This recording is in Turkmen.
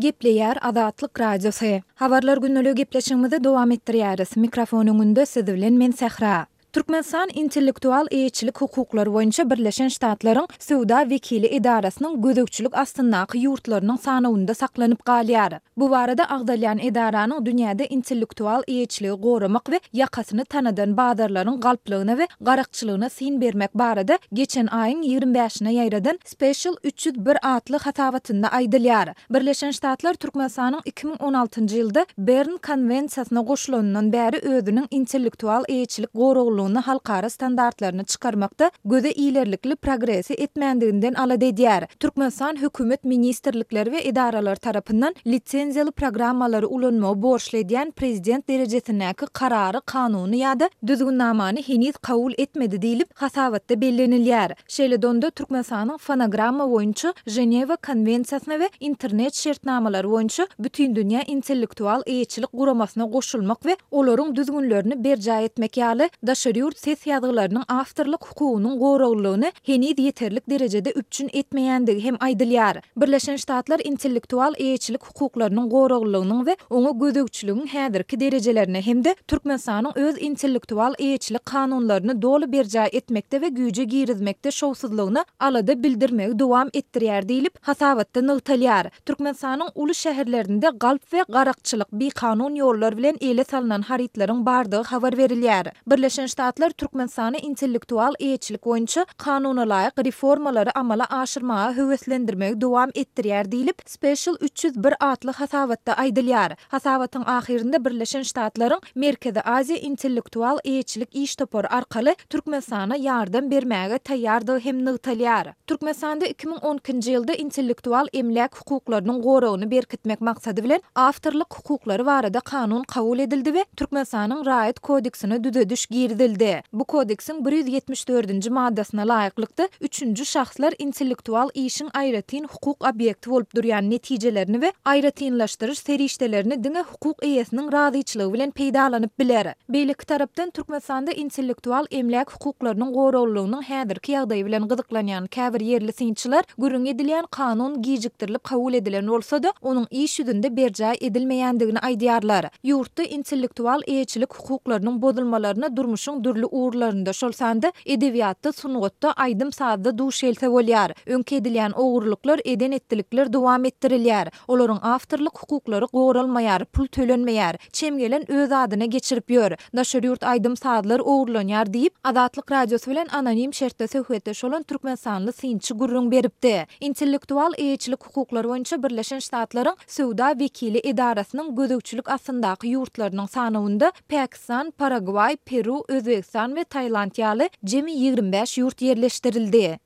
Gepleýär Azatlyk Radiosy. Habarlar gündeligi gepleşigimizi dowam etdirýäris. Mikrofon öňünde siz bilen men Sähra. Türkmenistan intellektual eýeçilik hukuklary boýunça Birleşen Ştatlaryň Söwda wekili edarasynyň gözegçilik astyndaky ýurtlarynyň sanawynda saklanyp galýar. Bu barada agzalýan edaranyň dünýäde intellektual eýeçiligi goramak we ýakasyny tanadan bazarlaryň galplygyna we garakçylygyna syn bermek barada geçen aýyň 25-ine ýaýradan Special 301 atly hasabatynda aýdylýar. Birleşen Ştatlar Türkmenistanyň 2016-njy ýylda Bern konwensiýasyna goşulanyndan bäri özüniň intellektual eýeçilik goraglylygyny halkara standartlaryny çykarmakda göze ilerlikli progresi etmändiginden alada edýär. Türkmenistan hökümet ministrlikleri we edaralary tarapyndan lisenziýaly programmalary ulanmagy borçly edýän prezident derejesindäki karary, kanuny ýa-da düzgünnamany heniz kabul etmedi diýlip, hasabatda bellenilýär. Şeýle-de onda Türkmenistanyň fonogramma boýunça Ženewa konwensiýasyna we internet şertnamalary boýunça Bütindünýä intellektual eýeçilik guramasyna goşulmak we olaryň düzgünlerini berjaý etmek ýaly daşary ýurt ses ýazgylarynyň awtorlyk hukugynyň goraglylygyny heniz ýeterlik derejede üpjün etmeýändigi hem aýdylýar. Birleşen Ştatlar intellektual eýeçilik hukuklarynyň goraglylygynyň we oňa gözegçiligiň häzirki derejelerine hem-de Türkmenistanyň öz intellektual eýeçilik kanunlaryny doly berjaý etmekde we güýje girizmekde şowsuzlygyna alada bildirmegi dowam etdirýär diýlip, hasabatda nygtalýar. Türkmenistanyň uly şäherlerinde galp we garakçylyk, bikanun ýollar bilen ele salnan harytlaryň bardygy habar berilýär. Birleşen Ştatlar Türkmenistany intellektual eýeçilik boýunça kanunalaýyk reformalary amala aşyrmaga höweslendirmegi dowam etdirýär diýlip, Special 301 atly hasabatda aýdylýar. Hasabatyň ahyrynda Birleşen Ştatlaryň Merkezi Aziýa intellektual eýeçilik iş topary arkaly Türkmenistana ýardam bermäge taýýardygy hem nygtalýar. Türkmenistanda 2012-nji ýylda intellektual emläk hukuklarynyň goragyny berkitmek maksady bilen Awtorlyk hukuklary barada kanun kabul edildi we Türkmenistanyň Raýat kodeksine düzediş girizildi. Bu kodeksiň 174-nji maddasyna laýyklykda, üçünji şahslar intellektual işiň aýratyn hukuk obýekti bolup durýan netijelerini we aýratynlaşdyryş serişdelerini diňe hukuk eýesiniň razyçylygy bilen peýdalanyp biler. Beýleki tarapdan, Türkmenistanda intellektual emläk hukuklarynyň goraglylygynyň häzirki ýagdaýy bilen gyzyklanýan käbir ýerli synçylar gürrüňi edilýän kanun gijikdirilip kabul edilen bolsa-da, onuň iş ýüzünde berjaý edilmeýändigini aýdýarlar. Ýurtda intellektual eýeçilik hukuklarynyň bozulmalaryna durmuşyň dürli ugurlarynda, şol sanda edebiýatda, sungatda, aýdym-sazda duş gelse bolýar. Öňki edilýän ogurlyklar, eden-etdilikler dowam etdirilýär. Olaryň awtorlyk hukuklary goralmaýar, pul tölenmeýär. Çem gelen öz adyna geçirip ýör. Daşary ýurt aýdym-sazlar ogurlanýar diýip, Azatlyk Radiosy bilen anonim şertde söhbetdeş bolan türkmenistanly synçy gürrüň beripdi. Intellektual eýeçilik hukuklary boýunça Birleşen Ştatlaryň Söwda wekili edarasynyň gözegçilik astyndaky ýurtlarynyň sanawynda Pakistan, Paragwaý, Peru, Özbegistan we Tailand ýaly jemi 25 ýurt ýerleşdirildi.